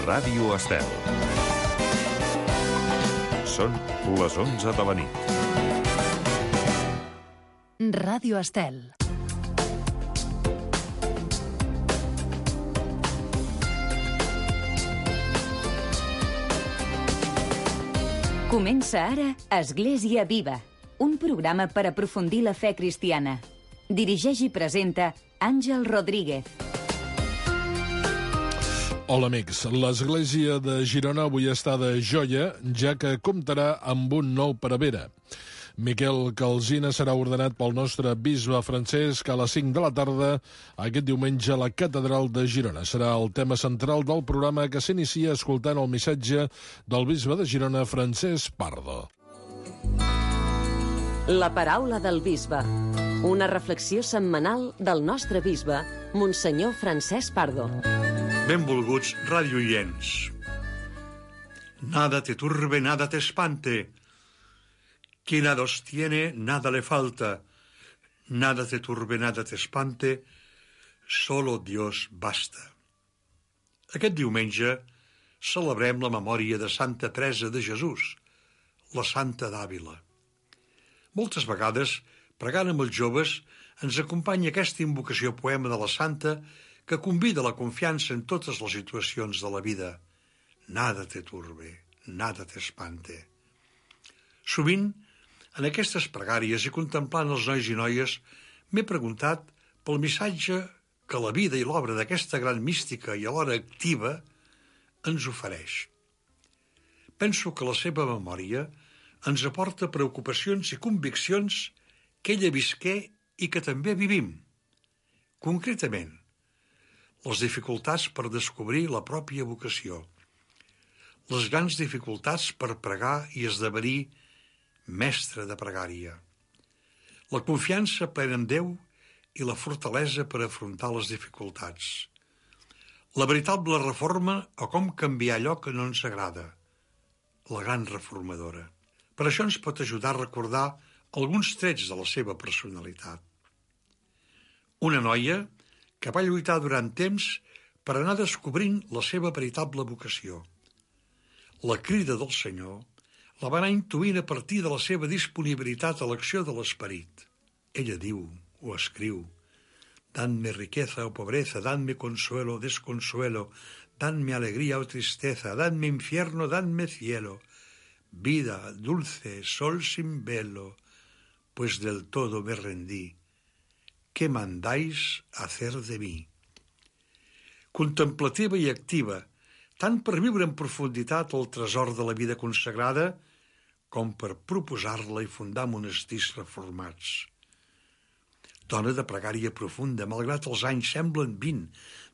Ràdio Estel. Són les 11 de la nit. Ràdio Estel. Comença ara Església Viva, un programa per aprofundir la fe cristiana. Dirigeix i presenta Àngel Rodríguez. Hola amics, l'Església de Girona avui està de joia, ja que comptarà amb un nou prevere. Miquel Calsina serà ordenat pel nostre bisbe Francesc a les 5 de la tarda aquest diumenge a la Catedral de Girona. Serà el tema central del programa, que s'inicia escoltant el missatge del bisbe de Girona, Francesc Pardo. La paraula del bisbe. Una reflexió setmanal del nostre bisbe, Monsenyor Francesc Pardo. Benvolguts radioients. Nada te turbe, nada te espante. Quien nada os tiene, nada le falta. Nada te turbe, nada te espante. Solo Dios basta. Aquest diumenge celebrem la memòria de Santa Teresa de Jesús, la Santa d'Àvila. Moltes vegades, pregant amb els joves, ens acompanya aquesta invocació poema de la Santa que convida a la confiança en totes les situacions de la vida. Nada te turbe, nada te espante. Sovint, en aquestes pregàries i contemplant els nois i noies, m'he preguntat pel missatge que la vida i l'obra d'aquesta gran mística i alhora activa ens ofereix. Penso que la seva memòria ens aporta preocupacions i conviccions que ella visqué i que també vivim. Concretament, les dificultats per descobrir la pròpia vocació, les grans dificultats per pregar i esdevenir mestre de pregària, la confiança plena en Déu i la fortalesa per afrontar les dificultats, la veritable reforma o com canviar allò que no ens agrada, la gran reformadora. Per això ens pot ajudar a recordar alguns trets de la seva personalitat. Una noia que va lluitar durant temps per anar descobrint la seva veritable vocació. La crida del Senyor la va anar intuint a partir de la seva disponibilitat a l'acció de l'esperit. Ella diu, o escriu, «Danme riqueza o pobreza, danme consuelo o desconsuelo, danme alegría o tristeza, danme infierno, danme cielo, vida dulce, sol sin velo, pues del todo me rendí. ¿Qué mandáis hacer de mi?» Contemplativa i activa, tant per viure en profunditat el tresor de la vida consagrada, com per proposar-la i fundar monestirs reformats. Dona de pregària profunda, malgrat els anys semblen 20,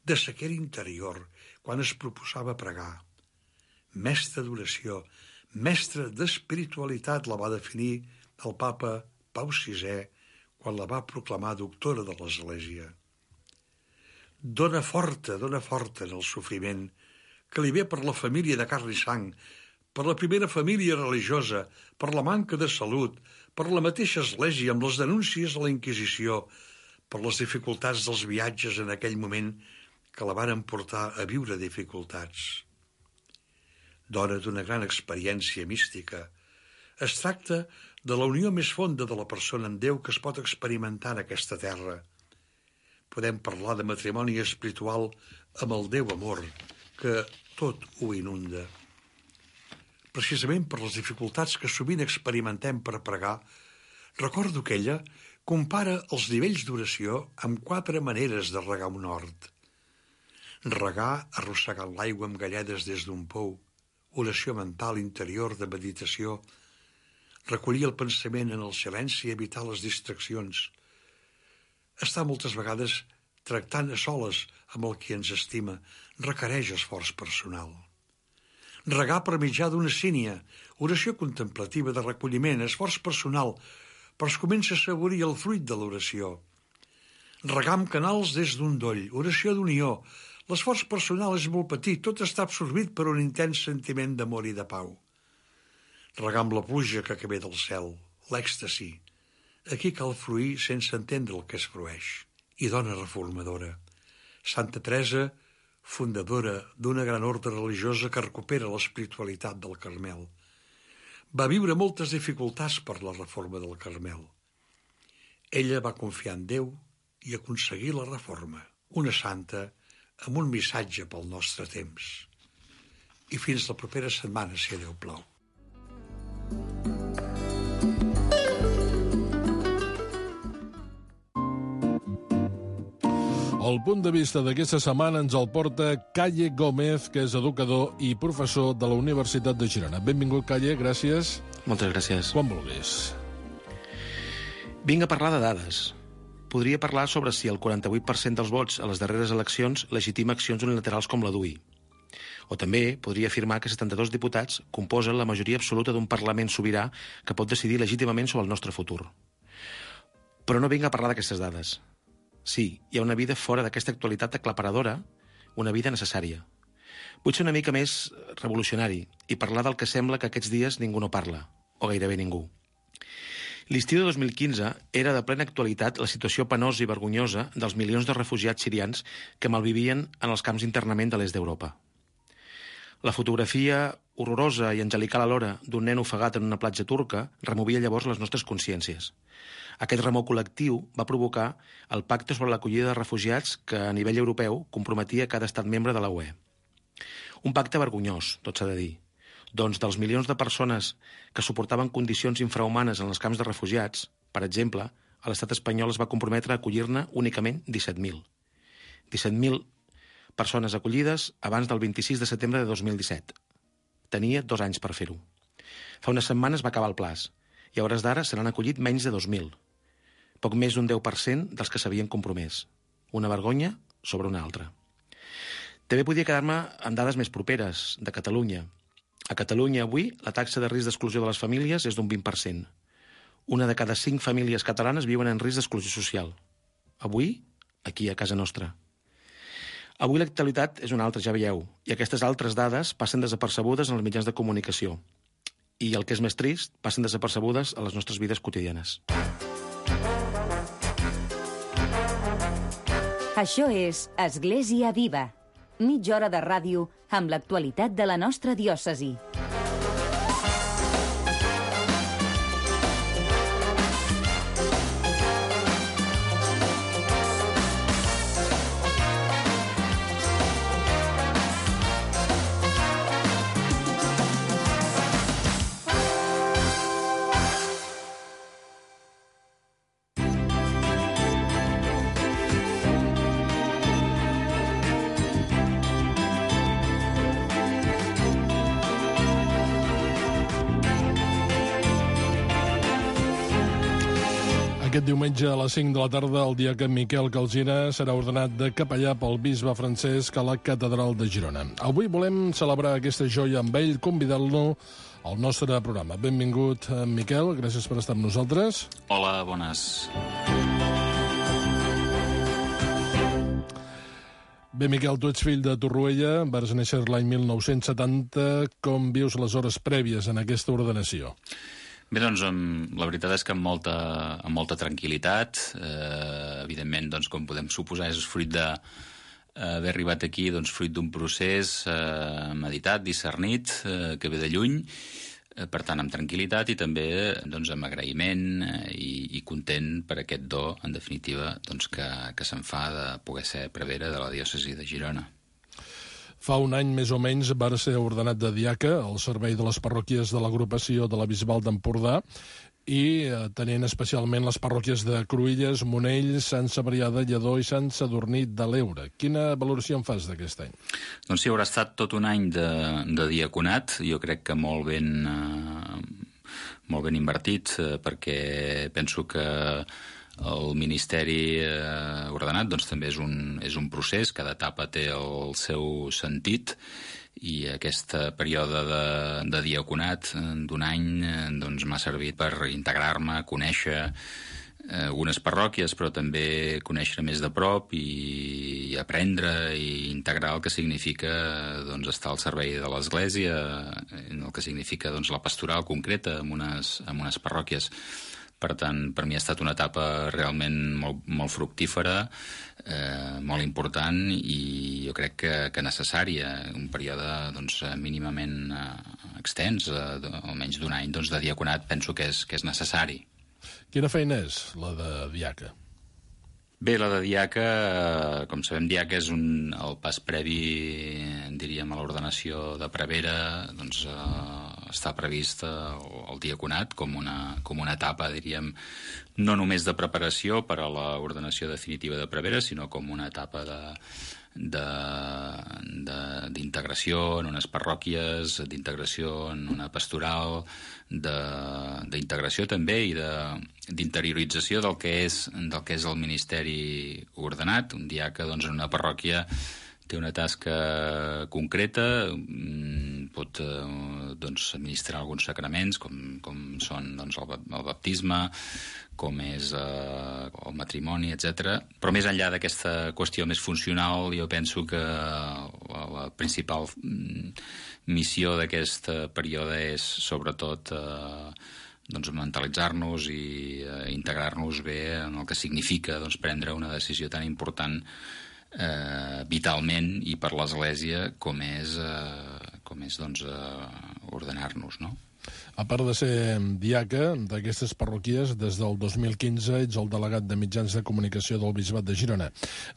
de sequera interior, quan es proposava pregar. Mestra d'oració, mestra d'espiritualitat, la va definir el papa Pau VI quan la va proclamar doctora de l'Església. Dona forta en el sofriment que li ve per la família de carn i sang, per la primera família religiosa, per la manca de salut, per la mateixa Església amb les denúncies a la Inquisició, per les dificultats dels viatges en aquell moment que la van portar a viure dificultats. Dona d'una gran experiència mística. Es tracta de la unió més fonda de la persona amb Déu que es pot experimentar en aquesta terra. Podem parlar de matrimoni espiritual amb el Déu amor, que tot ho inunda. Precisament per les dificultats que sovint experimentem per pregar, recordo que ella compara els nivells d'oració amb 4 maneres de regar un hort. Regar arrossegant l'aigua amb galledes des d'un pou, oració mental interior de meditació, recollir el pensament en el silenci i evitar les distraccions. Estar moltes vegades tractant a soles amb el qui ens estima requereix esforç personal. Regar per mitjà d'una sínia, oració contemplativa de recolliment, esforç personal, però es comença a assaborir el fruit de l'oració. Regar amb canals des d'un doll, oració d'unió. L'esforç personal és molt petit, tot està absorbit per un intens sentiment d'amor i de pau. Regar amb la pluja que ve del cel, l'èxtasi. Aquí cal fruir sense entendre el que es frueix. I dona reformadora. Santa Teresa fundadora d'una gran ordre religiosa que recupera l'espiritualitat del Carmel. Va viure moltes dificultats per la reforma del Carmel. Ella va confiar en Déu i aconseguir la reforma. Una santa amb un missatge pel nostre temps. I fins la propera setmana, si Déu plau. El punt de vista d'aquesta setmana ens el porta Calle Gómez, que és educador i professor de la Universitat de Girona. Benvingut, Calle, gràcies. Moltes gràcies. Quan vulguis. Vinc a parlar de dades. Podria parlar sobre si el 48% dels vots a les darreres eleccions legitima accions unilaterals com la d'UI. O també podria afirmar que 72 diputats composen la majoria absoluta d'un Parlament sobirà que pot decidir legítimament sobre el nostre futur. Però no vinc a parlar d'aquestes dades. Sí, hi ha una vida fora d'aquesta actualitat aclaparadora, una vida necessària. Vull ser una mica més revolucionari i parlar del que sembla que aquests dies ningú no parla, o gairebé ningú. L'estiu de 2015 era de plena actualitat la situació penosa i vergonyosa dels milions de refugiats sirians que malvivien en els camps d'internament de l'est d'Europa. La fotografia horrorosa i angelical alhora d'un nen ofegat en una platja turca removia llavors les nostres consciències. Aquest remor col·lectiu va provocar el Pacte sobre l'acollida de refugiats que a nivell europeu comprometia cada estat membre de la UE. Un pacte vergonyós, tot s'ha de dir. Doncs dels milions de persones que suportaven condicions infrahumanes en els camps de refugiats, per exemple, a l'estat espanyol es va comprometre a acollir-ne únicament 17.000. 17.000 persones acollides abans del 26 de setembre de 2017. Tenia 2 anys per fer-ho. Fa unes setmanes va acabar el plaç i a hores d'ara se n'han acollit menys de 2.000. Poc més d'un 10% dels que s'havien compromès. Una vergonya sobre una altra. També podia quedar-me amb dades més properes, de Catalunya. A Catalunya avui la taxa de risc d'exclusió de les famílies és d'un 20%. Una de cada 5 famílies catalanes viuen en risc d'exclusió social. Avui, aquí a casa nostra. Avui l'actualitat és una altra, ja veieu, i aquestes altres dades passen desapercebudes en els mitjans de comunicació. I el que és més trist, passen desapercebudes a les nostres vides quotidianes. Això és Església Viva. Mitja hora de ràdio amb l'actualitat de la nostra diòcesi. Aquest diumenge a les 5 de la tarda, el dia que Miquel Calsina serà ordenat de capellà pel bisbe Francesc a la Catedral de Girona. Avui volem celebrar aquesta joia amb ell, convidant-lo al nostre programa. Benvingut, Miquel, gràcies per estar amb nosaltres. Hola, bones. Bé, Miquel, tu ets fill de Torroella, vas néixer l'any 1970. Com vius les hores prèvies en aquesta ordenació? Bé, doncs, la veritat és que amb molta tranquil·litat. Evidentment, doncs, com podem suposar, és fruit d'haver arribat aquí, doncs, fruit d'un procés meditat, discernit, que ve de lluny, per tant, amb tranquil·litat i també doncs, amb agraïment i content per aquest do, en definitiva, doncs, que se'n fa de poder ser prevere de la diòcesi de Girona. Fa un any, més o menys, va ser ordenat de diaca al servei de les parròquies de l'agrupació de la Bisbal d'Empordà i tenint especialment les parròquies de Cruïlles, Monell, Sant Cebrià de Lledó i Sant Sadurní de l'Eure. Quina valoració en fas d'aquest any? Doncs sí, haurà estat tot un any de diaconat, jo crec que molt ben invertit, perquè penso que el ministeri ordenat doncs, també és un procés, cada etapa té el seu sentit i aquest període de diaconat d'un any doncs, m'ha servit per integrar-me, conèixer algunes parròquies, però també conèixer més de prop i aprendre i integrar el que significa doncs, estar al servei de l'Església, el que significa doncs, la pastoral concreta en unes parròquies. Per tant, per mi ha estat una etapa realment molt fructífera, molt important i jo crec que necessària. Un període mínimament extens, almenys d'un any de diaconat, penso que és necessari. Quina feina és la de diaca? Bé, la de diaca, com sabem, diaca és el pas previ, diríem, a l'ordenació de prevere. Està previst el diaconat com una etapa, diríem, no només de preparació per a l'ordenació definitiva de prevere, sinó com una etapa d'integració en unes parròquies, d'integració en una pastoral, d'integració també i d'interiorització del que és el ministeri ordenat. Un diaca en una parròquia té una tasca concreta, pot administrar alguns sacraments com són el baptisme, com és el matrimoni, etc. Però més enllà d'aquesta qüestió més funcional, jo penso que la principal missió d'aquest període és sobretot mentalitzar-nos i integrar-nos bé en el que significa prendre una decisió tan important vitalment i per l'Església com és ordenar-nos, no? A part de ser diaca d'aquestes parroquies, des del 2015 ets el delegat de mitjans de comunicació del Bisbat de Girona.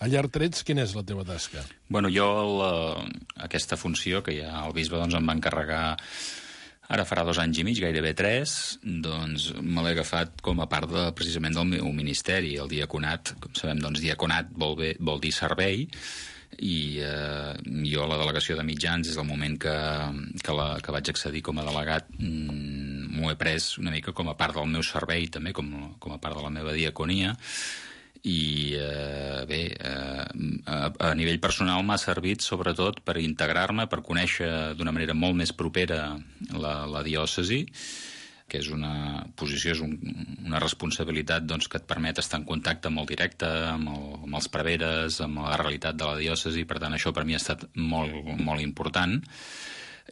A llarg trets, quina és la teva tasca? Bueno, jo aquesta funció que ja el bisbe em va encarregar ara farà 2 anys i mig, gairebé 3, me l'he agafat com a part precisament del meu ministeri, el diaconat. Com sabem, diaconat vol dir servei, i jo la delegació de mitjans, des del moment que vaig accedir com a delegat, m'ho he pres una mica com a part del meu servei, també com a part de la meva diaconia. I a nivell personal m'ha servit sobretot per integrar-me, per conèixer d'una manera molt més propera la diòcesi, que és una posició, és una responsabilitat que et permet estar en contacte molt directe amb els preveres, amb la realitat de la diòcesi. Per tant, això per mi ha estat molt, molt important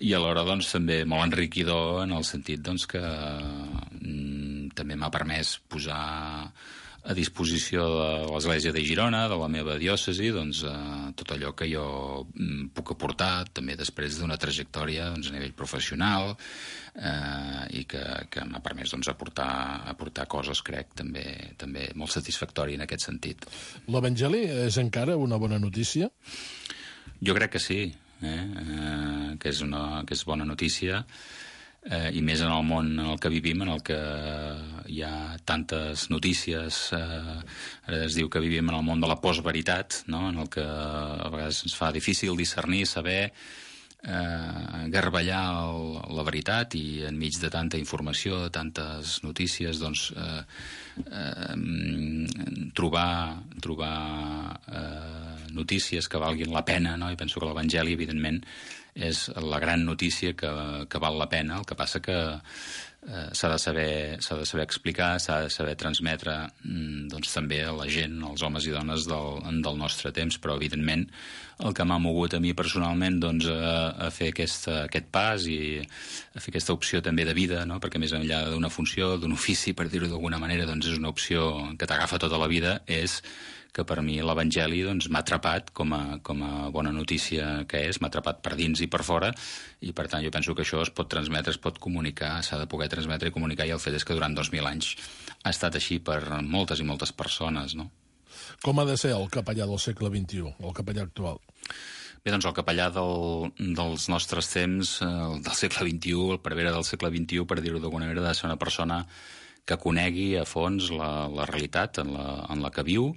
i alhora també molt enriquidor, en el sentit que també m'ha permès posar a disposició de l'Església de Girona, de la meva diòcesi, tot allò que jo puc aportar, també després d'una trajectòria a nivell professional, i que m'ha permès aportar coses, crec, també molt satisfactori en aquest sentit. L'Evangeli és encara una bona notícia? Jo crec que sí, que és bona notícia, i més en el món en el que vivim, en el que hi ha tantes notícies. Ara es diu que vivim en el món de la postveritat, no? En el que a vegades ens fa difícil discernir, saber garballar la veritat, i enmig de tanta informació, de tantes notícies, trobar notícies que valguin la pena, no? I penso que l'Evangeli, evidentment, és la gran notícia que val la pena. El que passa que s'ha de saber explicar, s'ha de saber transmetre també a la gent, als homes i dones del nostre temps. Però evidentment el que m'ha mogut a mi personalment a fer aquest pas i a fer aquesta opció també de vida, no? Perquè més enllà d'una funció, d'un ofici, per dir-ho d'alguna manera, és una opció que t'agafa tota la vida, és que per mi l'Evangeli m'ha atrapat com a bona notícia que és, m'ha atrapat per dins i per fora, i per tant jo penso que això es pot transmetre, es pot comunicar, s'ha de poder transmetre i comunicar, i el fet és que durant 2000 anys ha estat així per moltes i moltes persones, no? Com ha de ser el capellà del segle XXI, el capellà actual? Bé, el capellà dels nostres temps, del segle XXI, el prevere del segle XXI, per dir-ho d'alguna manera, ha de ser una persona que conegui a fons la realitat en la que viu,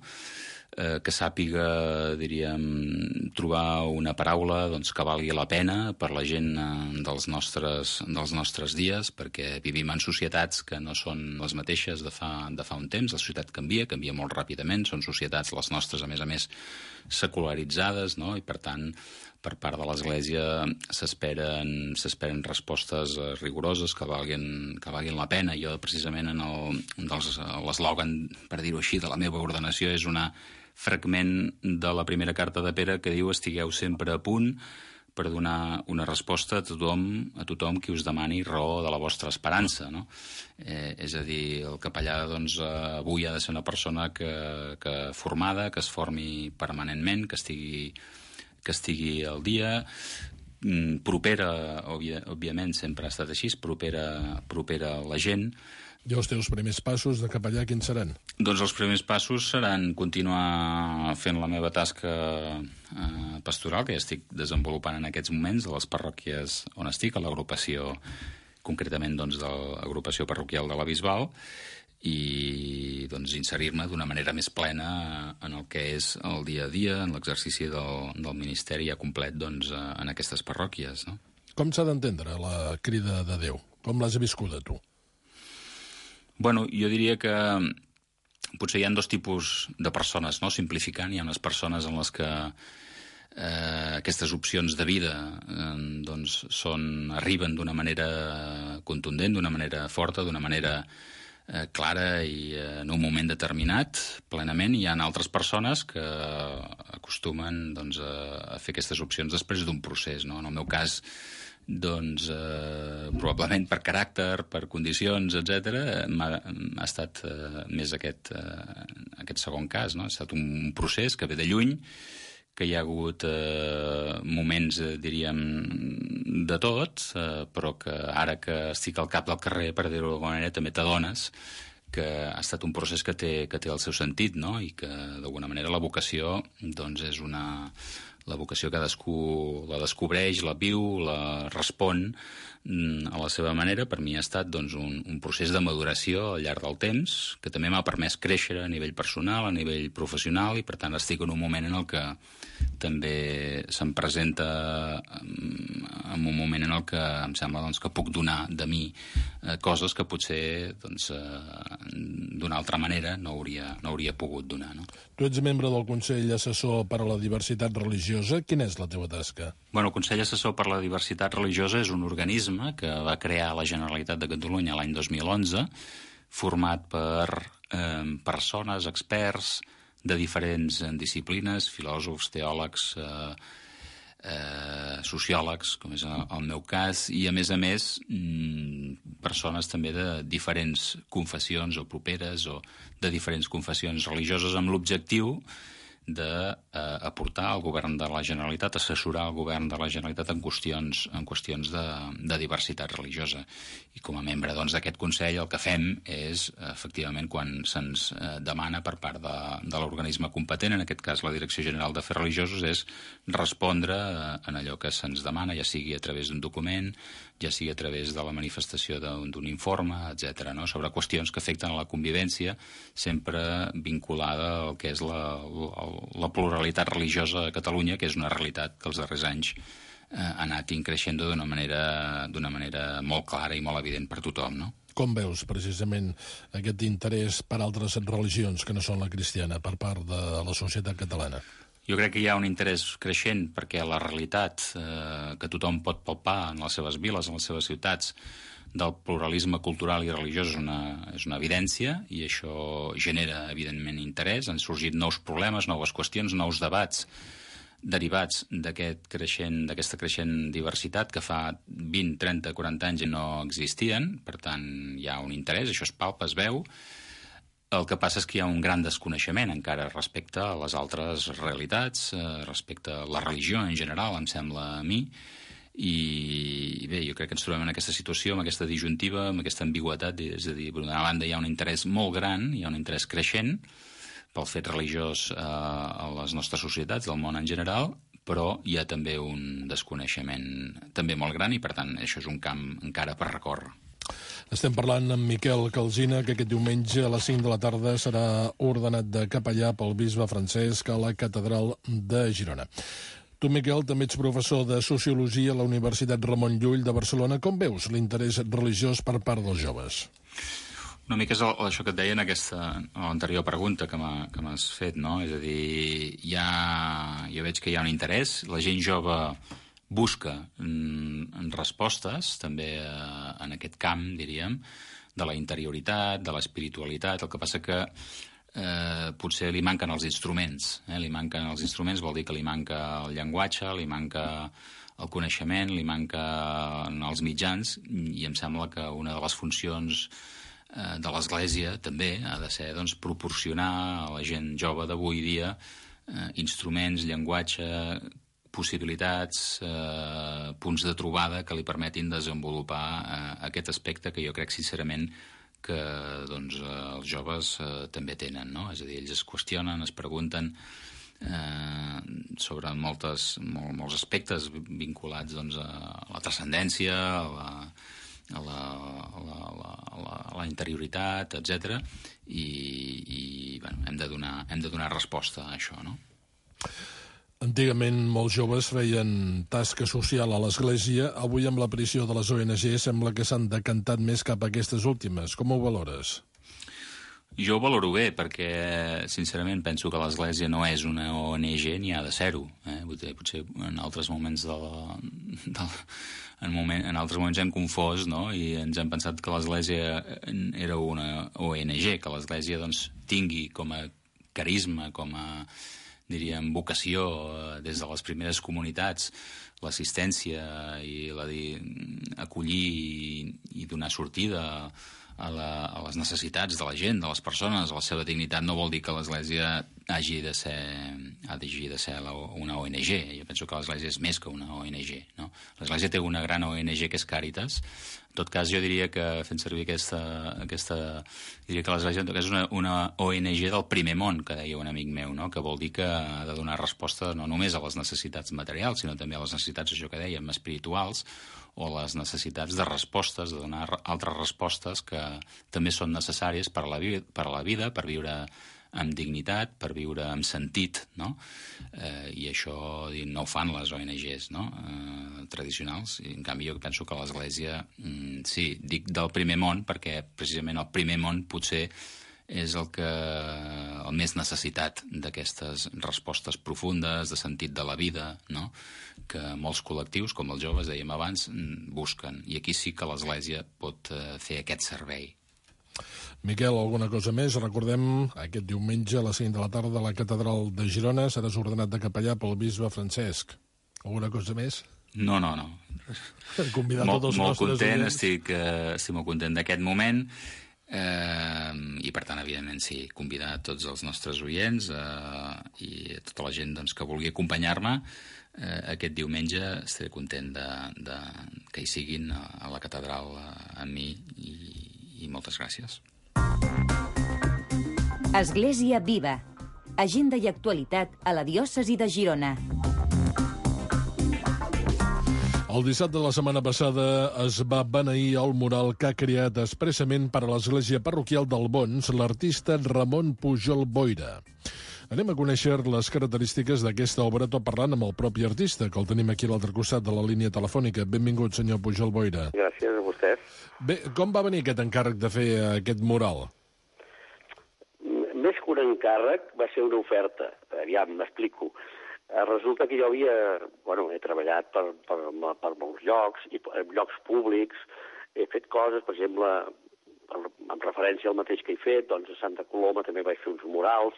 que sàpiga, diríem, trobar una paraula que valgui la pena per la gent dels nostres dies, perquè vivim en societats que no són les mateixes de fa un temps. La societat canvia molt ràpidament, són societats, les nostres, a més, secularitzades, no? I per tant, per part de l'Església s'esperen respostes rigoroses que valguin la pena. Jo, precisament, l'eslògan, per dir-ho així, de la meva ordenació és un fragment de la primera carta de Pere que diu: estigueu sempre a punt per donar una resposta a tothom qui us demani raó de la vostra esperança, no? És a dir, el capellà doncs, avui ha de ser una persona que formada, que es formi permanentment, que estigui al dia, propera, òbviament sempre ha estat així, propera a la gent. I els teus primers passos de capellà quins seran? Doncs els primers passos seran continuar fent la meva tasca pastoral, que ja estic desenvolupant en aquests moments, a les parròquies on estic, a l'agrupació, concretament doncs, de l'agrupació parroquial de la Bisbal, i doncs, inserir-me d'una manera més plena en el que és el dia a dia, en l'exercici del ministeri ja complet doncs, en aquestes parròquies. No? Com s'ha d'entendre la crida de Déu? Com l'has viscuda, tu? Bueno, jo diria que potser hi ha dos tipus de persones, no? Simplificant, hi ha unes persones en les que aquestes opcions de vida doncs arriben d'una manera contundent, d'una manera forta, d'una manera clara i en un moment determinat, plenament. Hi ha altres persones que acostumen doncs, a fer aquestes opcions després d'un procés. No? En el meu cas, doncs, probablement per caràcter, per condicions, etc., ha estat més aquest segon cas. No? Ha estat un procés que ve de lluny, que hi ha hagut moments, diríem, de tot, però que ara que estic al cap del carrer, per dir-ho d'alguna manera, també t'adones que ha estat un procés que té el seu sentit, no? I que, d'alguna manera, la vocació doncs, és la vocació cadascú la descobreix, la viu, la respon a la seva manera. Per mi ha estat doncs, un procés de maduració al llarg del temps, que també m'ha permès créixer a nivell personal, a nivell professional, i per tant estic en un moment en el que també se'm presenta en un moment en el que em sembla doncs, que puc donar de mi coses que potser doncs, d'una altra manera no hauria pogut donar. No? Tu ets membre del Consell Assessor per a la Diversitat Religiosa. Quina és la teva tasca? Bueno, el Consell Assessor per a la Diversitat Religiosa és un organisme que va crear la Generalitat de Catalunya l'any 2011, format per persones, experts de diferents disciplines, filòsofs, teòlegs, sociòlegs, com és el meu cas, i a més persones també de diferents confessions o properes o de diferents confessions religioses amb l'objectiu d'aportar al govern de la Generalitat, assessorar el govern de la Generalitat en qüestions de diversitat religiosa. I com a membre d'aquest Consell el que fem és, efectivament, quan se'ns demana per part de l'organisme competent, en aquest cas la Direcció General d'Afers Religiosos, és respondre en allò que se'ns demana, ja sigui a través d'un document, ja sigui a través de la manifestació d'un informe, etc., no? Sobre qüestions que afecten a la convivència, sempre vinculada al que és la pluralitat religiosa a Catalunya, que és una realitat que els darrers anys ha anat increixent d'una manera molt clara i molt evident per tothom, no? Com veus, precisament, aquest interès per altres religions que no són la cristiana per part de la societat catalana? Jo crec que hi ha un interès creixent perquè la realitat que tothom pot palpar en les seves viles, en les seves ciutats, del pluralisme cultural i religiós és una evidència, i això genera, evidentment, interès. Han sorgit nous problemes, noves qüestions, nous debats derivats d'aquesta creixent diversitat que fa 20, 30, 40 anys no existien. Per tant, hi ha un interès, això es palpa, es veu. El que passa és que hi ha un gran desconeixement encara respecte a les altres realitats, respecte a la religió en general, em sembla a mi. I bé, jo crec que ens trobem en aquesta situació, amb aquesta disjuntiva, amb aquesta ambigüetat, és a dir, per una banda hi ha un interès molt gran, hi ha un interès creixent pel fet religiós a les nostres societats, del món en general, però hi ha també un desconeixement també molt gran i, per tant, això és un camp encara per recórrer. Estem parlant amb Miquel Calsina, que aquest diumenge a les 5 de la tarda serà ordenat de capellà pel bisbe Francesc a la catedral de Girona. Tu, Miquel, també ets professor de Sociologia a la Universitat Ramon Llull de Barcelona. Com veus l'interès religiós per part dels joves? Una mica és això que et deia en l'anterior pregunta que m'has fet, no? És a dir, jo veig que hi ha un interès, la gent jove busca respostes també en aquest camp, diríem, de la interioritat, de l'espiritualitat. El que passa que potser li manquen els instruments. Li manquen els instruments, vol dir que li manca el llenguatge, li manca el coneixement, li manquen els mitjans, i em sembla que una de les funcions de l'Església també ha de ser proporcionar a la gent jove d'avui dia instruments, llenguatge, possibilitats, punts de trobada que li permetin desenvolupar aquest aspecte que jo crec sincerament que els joves també tenen, no? És a dir, ells es qüestionen, es pregunten sobre molts aspectes vinculats a la transcendència, a la interioritat, etc. I hem de donar resposta a això, no? Antigament molts joves feien tasca social a l'Església. Avui, amb l'aparició de les ONG, sembla que s'han decantat més cap a aquestes últimes. Com ho valores? Jo ho valoro bé, perquè sincerament penso que l'Església no és una ONG ni ha de ser-ho. Potser en altres moments en altres moments hem confós, no? I ens hem pensat que l'Església era una ONG, que l'Església tingui com a carisma, com a diríem, vocació des de les primeres comunitats, l'assistència i acollir i donar sortida a les necessitats de la gent, de les persones, a la seva dignitat, no vol dir que l'Església hagi de ser una ONG. Jo penso que l'Església és més que una ONG, no? L'Església té una gran ONG que és Càritas. En tot cas, jo diria que, fent servir diria que l'Església és una ONG del primer món, que deia un amic meu, no? Que vol dir que ha de donar resposta no només a les necessitats materials, sinó també a les necessitats, això que dèiem, espirituals, o les necessitats de respostes, de donar altres respostes que també són necessàries per a la vida, per viure amb dignitat, per viure amb sentit, no? I això no ho fan les ONGs, no? Tradicionals. I, en canvi, jo penso que l'Església, sí, dic del primer món, perquè precisament el primer món potser és el més necessitat d'aquestes respostes profundes, de sentit de la vida, no? Que molts col·lectius, com els joves, dèiem abans, busquen. I aquí sí que l'Església pot fer aquest servei. Miquel, alguna cosa més? Recordem, aquest diumenge a les 5 de la tarda a la Catedral de Girona seràs ordenat de capellà pel bisbe Francesc. Alguna cosa més? No. Convidar tots els nostres content, estic molt content d'aquest moment, i per tant, evidentment, sí, convidar tots els nostres oients i tota la gent que vulgui acompanyar-me aquest diumenge. Estaré content que hi siguin a la catedral amb mi, i moltes gràcies. Església Viva. Agenda i actualitat a la diòcesi de Girona. El dissabte de la setmana passada es va beneir el mural que ha creat expressament per a l'església parroquial del Bons l'artista Ramon Pujol Boira. Anem a conèixer les característiques d'aquesta obra tot parlant amb el propi artista, que el tenim aquí a l'altre costat de la línia telefònica. Benvingut, senyor Pujol Boira. Gràcies a vostès. Bé, com va venir aquest encàrrec de fer aquest mural? Més que un encàrrec, va ser una oferta. Aviam, m'explico. Resulta que jo he treballat per molts llocs, i llocs públics, he fet coses, per exemple, en referència al mateix que he fet, doncs a Santa Coloma també vaig fer uns murals,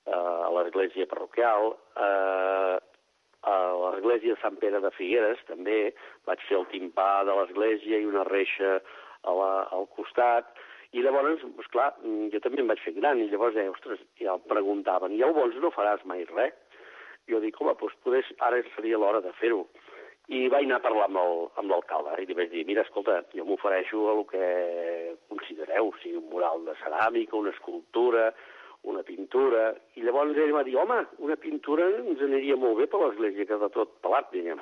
a l'església parroquial, a l'església de Sant Pere de Figueres també vaig fer el timpà de l'església i una reixa al costat, i llavors, esclar, jo també em vaig fer gran, i llavors ja em preguntaven, i al Bons no faràs mai res? Jo dic, home, doncs potser ara seria l'hora de fer-ho. I vaig anar a parlar amb l'alcalde, i li vaig dir, mira, escolta, jo m'ofereixo a el que considereu, sigui un mural de ceràmica, una escultura, una pintura, i llavors ell va dir, home, una pintura ens aniria molt bé per l'església, que de tot pelat, diguem.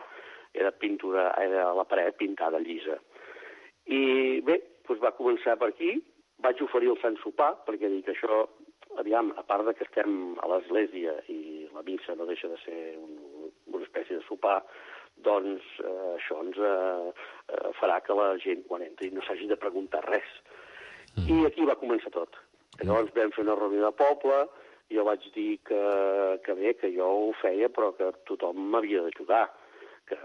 Era pintura, era la paret pintada llisa. I bé, doncs va començar per aquí, vaig oferir el Sant Sopar, perquè dic això, aviam, a part que estem a l'església i la missa no deixa de ser una espècie de sopar, doncs això ens farà que la gent, quan entri, no s'hagi de preguntar res. I aquí va començar tot. Llavors vam fer una reunió de poble, i jo vaig dir que bé, que jo ho feia, però que tothom m'havia d'ajudar. Que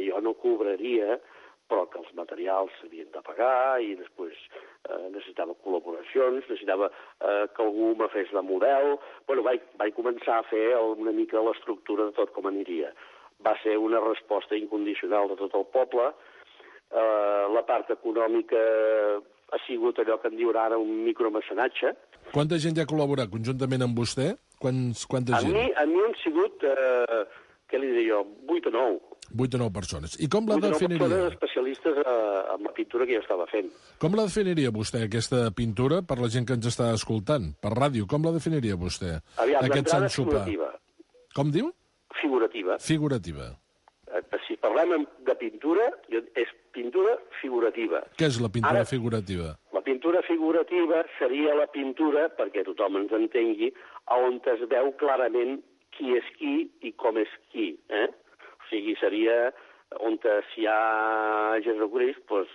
jo no cobraria però que els materials s'havien de pagar i després necessitava col·laboracions, necessitava que algú me fes de model. Bueno, vaig començar a fer una mica l'estructura de tot com aniria. Va ser una resposta incondicional de tot el poble. La part econòmica ha sigut allò que en diuen ara un micromecenatge. Quanta gent ja ha col·laborat conjuntament amb vostè? Quanta gent? A mi han sigut, què li diré jo, 8 o 9. 8 o 9 persones. I com la definiria? 8 o 9 especialistes en la pintura que jo estava fent. Com la definiria vostè, aquesta pintura, per la gent que ens està escoltant? Per ràdio, com la definiria vostè? Aviam, aquest l'entrada sant sopar. figurativa. Com diu? Figurativa. Figurativa. Si parlem de pintura, és pintura figurativa. Què és la pintura figurativa? La pintura figurativa seria la pintura, perquè tothom ens entengui, on es veu clarament qui és qui i com és qui. O sigui, seria on si hi ha Jesucrist, doncs,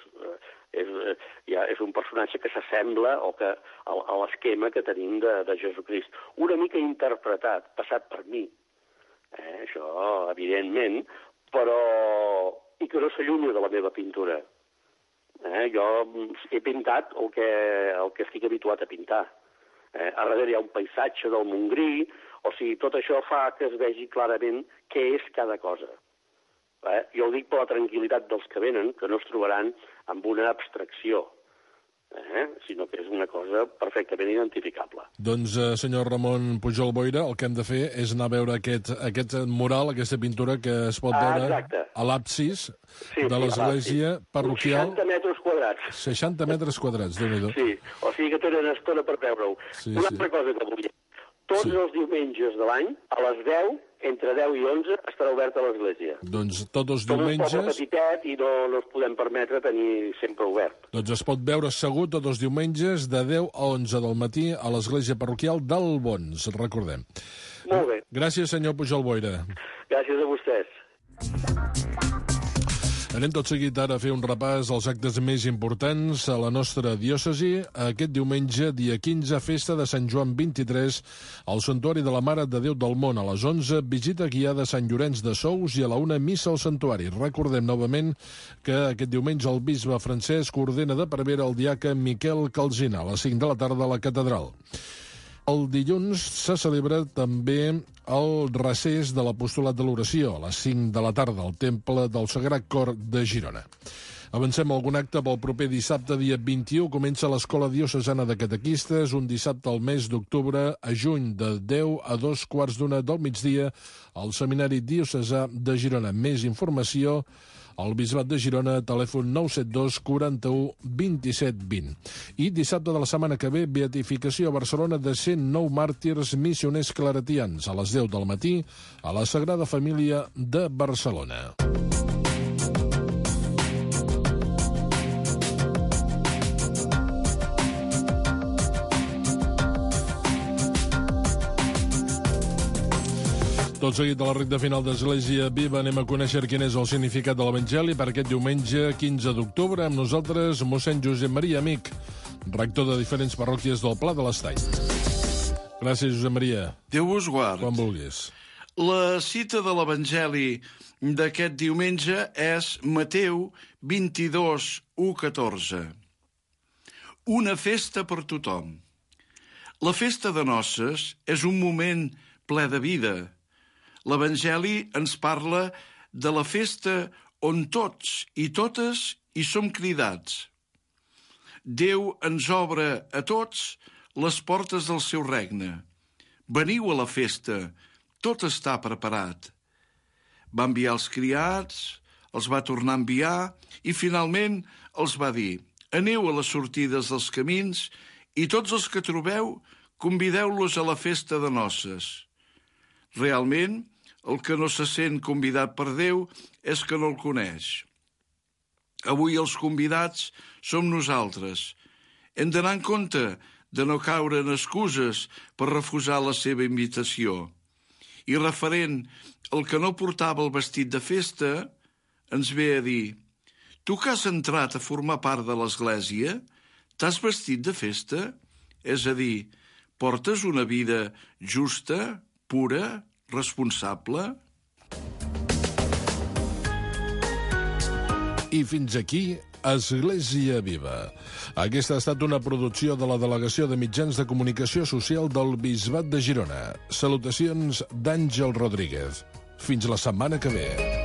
és un personatge que s'assembla a l'esquema que tenim de Jesucrist. Una mica interpretat, passat per mi. Això, evidentment, però i que no s'allunya de la meva pintura. Jo he pintat el que estic habituat a pintar. A darrere hi ha un paisatge del Montgrí, o sigui, tot això fa que es vegi clarament què és cada cosa. Jo ho dic per la tranquil·litat dels que venen, que no es trobaran amb una abstracció, sinó que és una cosa perfectament identificable. Doncs, senyor Ramon Pujol Boira, el que hem de fer és anar a veure aquest mural, aquesta pintura que es pot veure a l'absis de l'església parroquial. 60 metres quadrats. 60 metres quadrats, Déu-n'hi-do. Sí, o sigui que tenen estona per veure-ho. Una altra cosa que volia. Tots els diumenges de l'any, a les 10, entre 10 i 11, estarà oberta l'església. Doncs tots els diumenges... Som un poble petitet i no ens podem permetre tenir sempre obert. Doncs es pot veure segur tots els diumenges de 10 a 11 del matí a l'església parroquial d'Albons, recordem. Molt bé. Gràcies, senyor Pujol Boira. Gràcies a vostès. Anem tot seguit ara a fer un repàs als actes més importants a la nostra diòcesi. Aquest diumenge, dia 15, festa de Sant Joan 23, al Santuari de la Mare de Déu del Món. A les 11, visita guiada a Sant Llorenç de Sous i a la 1, missa al santuari. Recordem novament que aquest diumenge el bisbe Francesc ordena de prevere el diaca Miquel Calzina a les 5 de la tarda a la catedral. El dilluns se celebra també el recés de l'apostolat de l'oració a les 5 de la tarda al Temple del Sagrat Cor de Girona. Avancem algun acte pel proper dissabte, dia 21. Comença l'Escola Diocesana de Catequistes, un dissabte al mes d'octubre a juny, de 10 a 2:15 del migdia, al Seminari Diocesà de Girona. Més informació al Bisbat de Girona, telèfon 972 41 27 20. I dissabte de la setmana que ve, beatificació a Barcelona de 109 màrtirs missioners claretians a les 10 del matí a la Sagrada Família de Barcelona. Tot seguit a la recta final d'Església Viva anem a conèixer quin és el significat de l'Evangeli per aquest diumenge 15 d'octubre. Amb nosaltres, mossèn Josep Maria Amic, rector de diferents parròquies del Pla de l'Estany. Gràcies, Josep Maria. Déu vos guard. Quan vulguis. La cita de l'Evangeli d'aquest diumenge és Mateu 22, 1-14. Una festa per tothom. La festa de noces és un moment ple de vida. L'Evangeli ens parla de la festa on tots i totes hi som cridats. Déu ens obre a tots les portes del seu regne. Veniu a la festa, tot està preparat. Va enviar els criats, els va tornar a enviar i finalment els va dir: aneu a les sortides dels camins i tots els que trobeu convideu-los a la festa de noces. Realment, el que no se sent convidat per Déu és que no el coneix. Avui els convidats som nosaltres. Hem d'anar en compte de no caure en excuses per refusar la seva invitació. I referent al que no portava el vestit de festa, ens ve a dir: tu que has entrat a formar part de l'Església, t'has vestit de festa? És a dir, portes una vida justa, pura, responsable? I fins aquí Església Viva. Aquesta ha estat una producció de la Delegació de Mitjans de Comunicació Social del Bisbat de Girona. Salutacions d'Àngel Rodríguez. Fins la setmana que ve.